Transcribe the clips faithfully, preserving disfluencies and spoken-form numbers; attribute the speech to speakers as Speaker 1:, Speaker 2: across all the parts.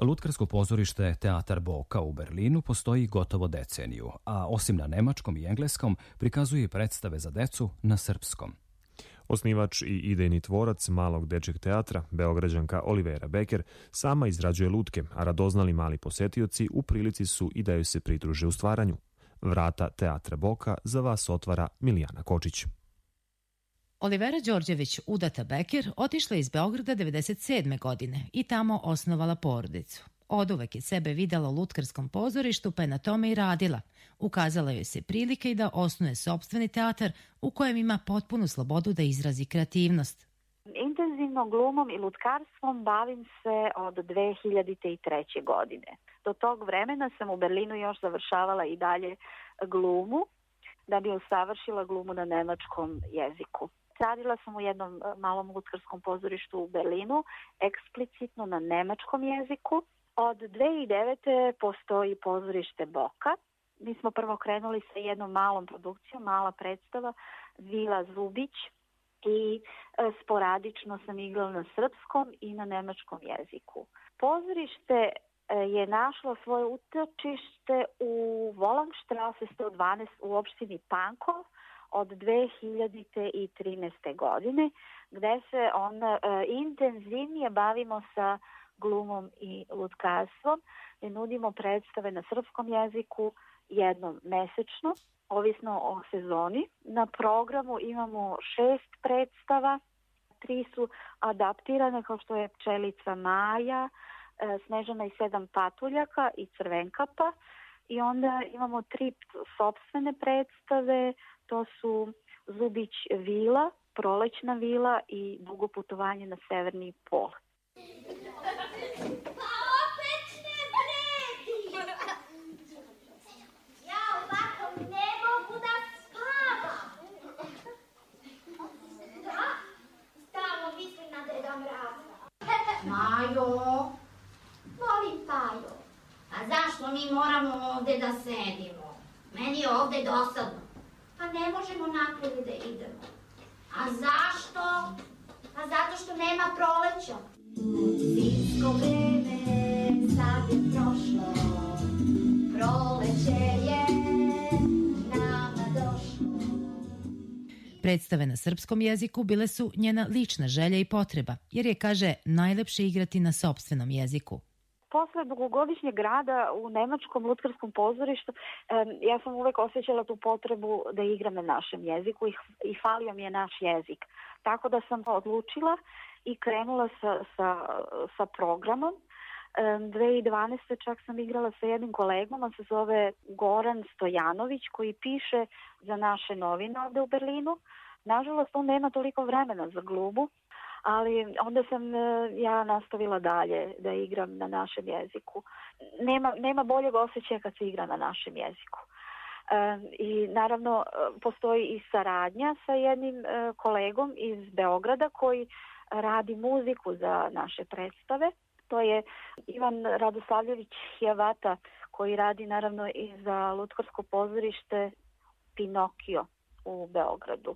Speaker 1: Lutkarsko pozorište Teatar Boka u Berlinu postoji gotovo deceniju, a osim na nemačkom i engleskom prikazuje predstave za decu na srpskom.
Speaker 2: Osnivač i idejni tvorac malog dečjeg teatra, Beograđanka Olivera Beker, sama izrađuje lutke, a radoznali mali posetioci u prilici su i da joj se pridruže u stvaranju. Vrata Teatra Boka za vas otvara Milijana Kočić.
Speaker 3: Olivera Đorđević, udata Beker, otišla iz Beograda devedeset sedme godine i tamo osnovala porodicu. Oduvek je sebe videla u lutkarskom pozorištu, pa je na tome i radila. Ukazala joj se prilike i da osnuje sopstveni teatar u kojem ima potpunu slobodu da izrazi kreativnost.
Speaker 4: Intenzivno glumom i lutkarstvom bavim se od dve hiljade treće. godine. Do tog vremena sam u Berlinu još završavala i dalje glumu, da bi usavršila glumu na nemačkom jeziku. Radila sam u jednom malom lutkarskom pozorištu u Berlinu, eksplicitno na nemačkom jeziku. Od dve hiljade devete. postoji pozorište Boka. Mi smo prvo krenuli sa jednom malom produkcijom, mala predstava, Vila Zubić, i sporadično sam igrala na srpskom i na nemačkom jeziku. Pozorište je našlo svoje utočište u Volangstrasse sto dvanaest u opštini Pankov od dve hiljade trinaeste. godine, gde se onda e, intenzivnije bavimo sa glumom i lutkarstvom, gde nudimo predstave na srpskom jeziku jednom mesečno, ovisno o sezoni. Na programu imamo šest predstava, tri su adaptirane kao što je Pčelica Maja, e, Snežana i sedam patuljaka i Crvenkapa, i onda imamo tri sopstvene predstave. To su Zubić vila, Prolećna vila i Dugo putovanje na severni pol.
Speaker 5: Pa opet ne vredi! Ja ovako ne mogu da spavam. Da, stalno mislim na Deda Mraza.
Speaker 6: Majo,
Speaker 5: Molim, Pajo.
Speaker 6: a zašto mi moramo ovde da sedimo? Meni je ovde dosadno.
Speaker 5: Pa ne možemo napolje da idemo.
Speaker 6: A zašto?
Speaker 5: Pa zato što nema proleća.
Speaker 6: Zimsko vreme sad je prošlo, proleće je nama došlo.
Speaker 3: Predstave na srpskom jeziku bile su njena lična želja i potreba, jer je, kaže, najlepše igrati na sopstvenom jeziku.
Speaker 4: Posle dugogodišnjeg rada u nemačkom lutkarskom pozorištu, ja sam uvek osjećala tu potrebu da igram na našem jeziku i falio mi je naš jezik. Tako da sam odlučila i krenula sa, sa, sa programom. dve hiljade dvanaeste. čak sam igrala sa jednim kolegom, on se zove Goran Stojanović, koji piše za naše novine ovde u Berlinu. Nažalost, on nema toliko vremena za glumu, ali onda sam ja nastavila dalje da igram na našem jeziku. Nema, nema boljeg osjećaja kad se igra na našem jeziku. E, I naravno postoji i saradnja sa jednim e, kolegom iz Beograda koji radi muziku za naše predstave. To je Ivan Radoslavljević Hjavata, koji radi naravno i za lutkarsko pozorište Pinokio u Beogradu.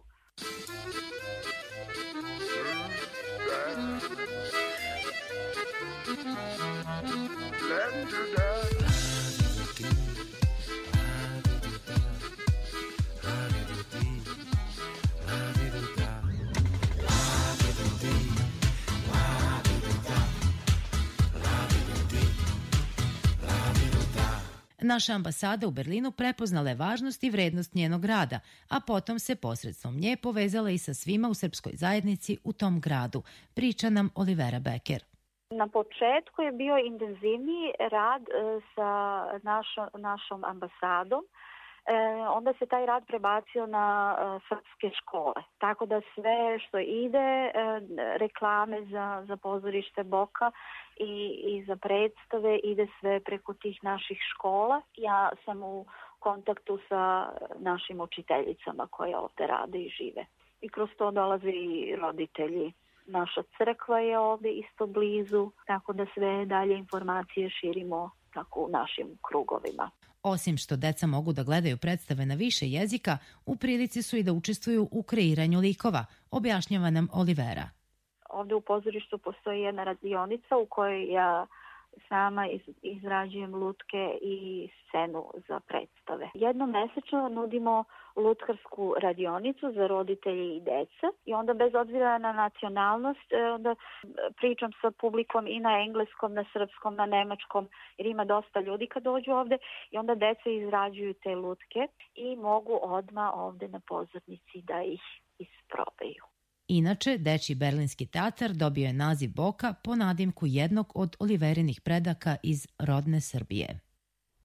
Speaker 3: Naša ambasada u Berlinu prepoznala je važnost i vrednost njenog rada, a potom se posredstvom nje povezala i sa svima u srpskoj zajednici u tom gradu, priča nam Olivera Beker.
Speaker 4: Na početku je bio intenzivniji rad sa našo, našom ambasadom, e, onda se taj rad prebacio na e, srpske škole. Tako da sve što ide, e, reklame za, za pozorište Boka i, i za predstave, ide sve preko tih naših škola. Ja sam u kontaktu sa našim učiteljicama koje ovde rade i žive. I kroz to dolaze i roditelji. Naša crkva je ovde isto blizu, tako da sve dalje informacije širimo tako u našim krugovima.
Speaker 3: Osim što deca mogu da gledaju predstave na više jezika, u prilici su i da učestvuju u kreiranju likova, objašnjava nam Olivera.
Speaker 4: Ovde u pozorištu postoji jedna radionica u kojoj ja sama izrađujem lutke i scenu za predstave. Jednom mesečno nudimo lutkarsku radionicu za roditelje i deca i onda bez obzira na nacionalnost onda pričam sa publikom i na engleskom, na srpskom, na nemačkom jer ima dosta ljudi kad dođu ovde i onda deca izrađuju te lutke i mogu odmah ovde na pozornici da ih isprobaju.
Speaker 3: Inače, Dečiji berlinski teatar dobio je naziv Boka po nadimku jednog od Oliverinih predaka iz rodne Srbije.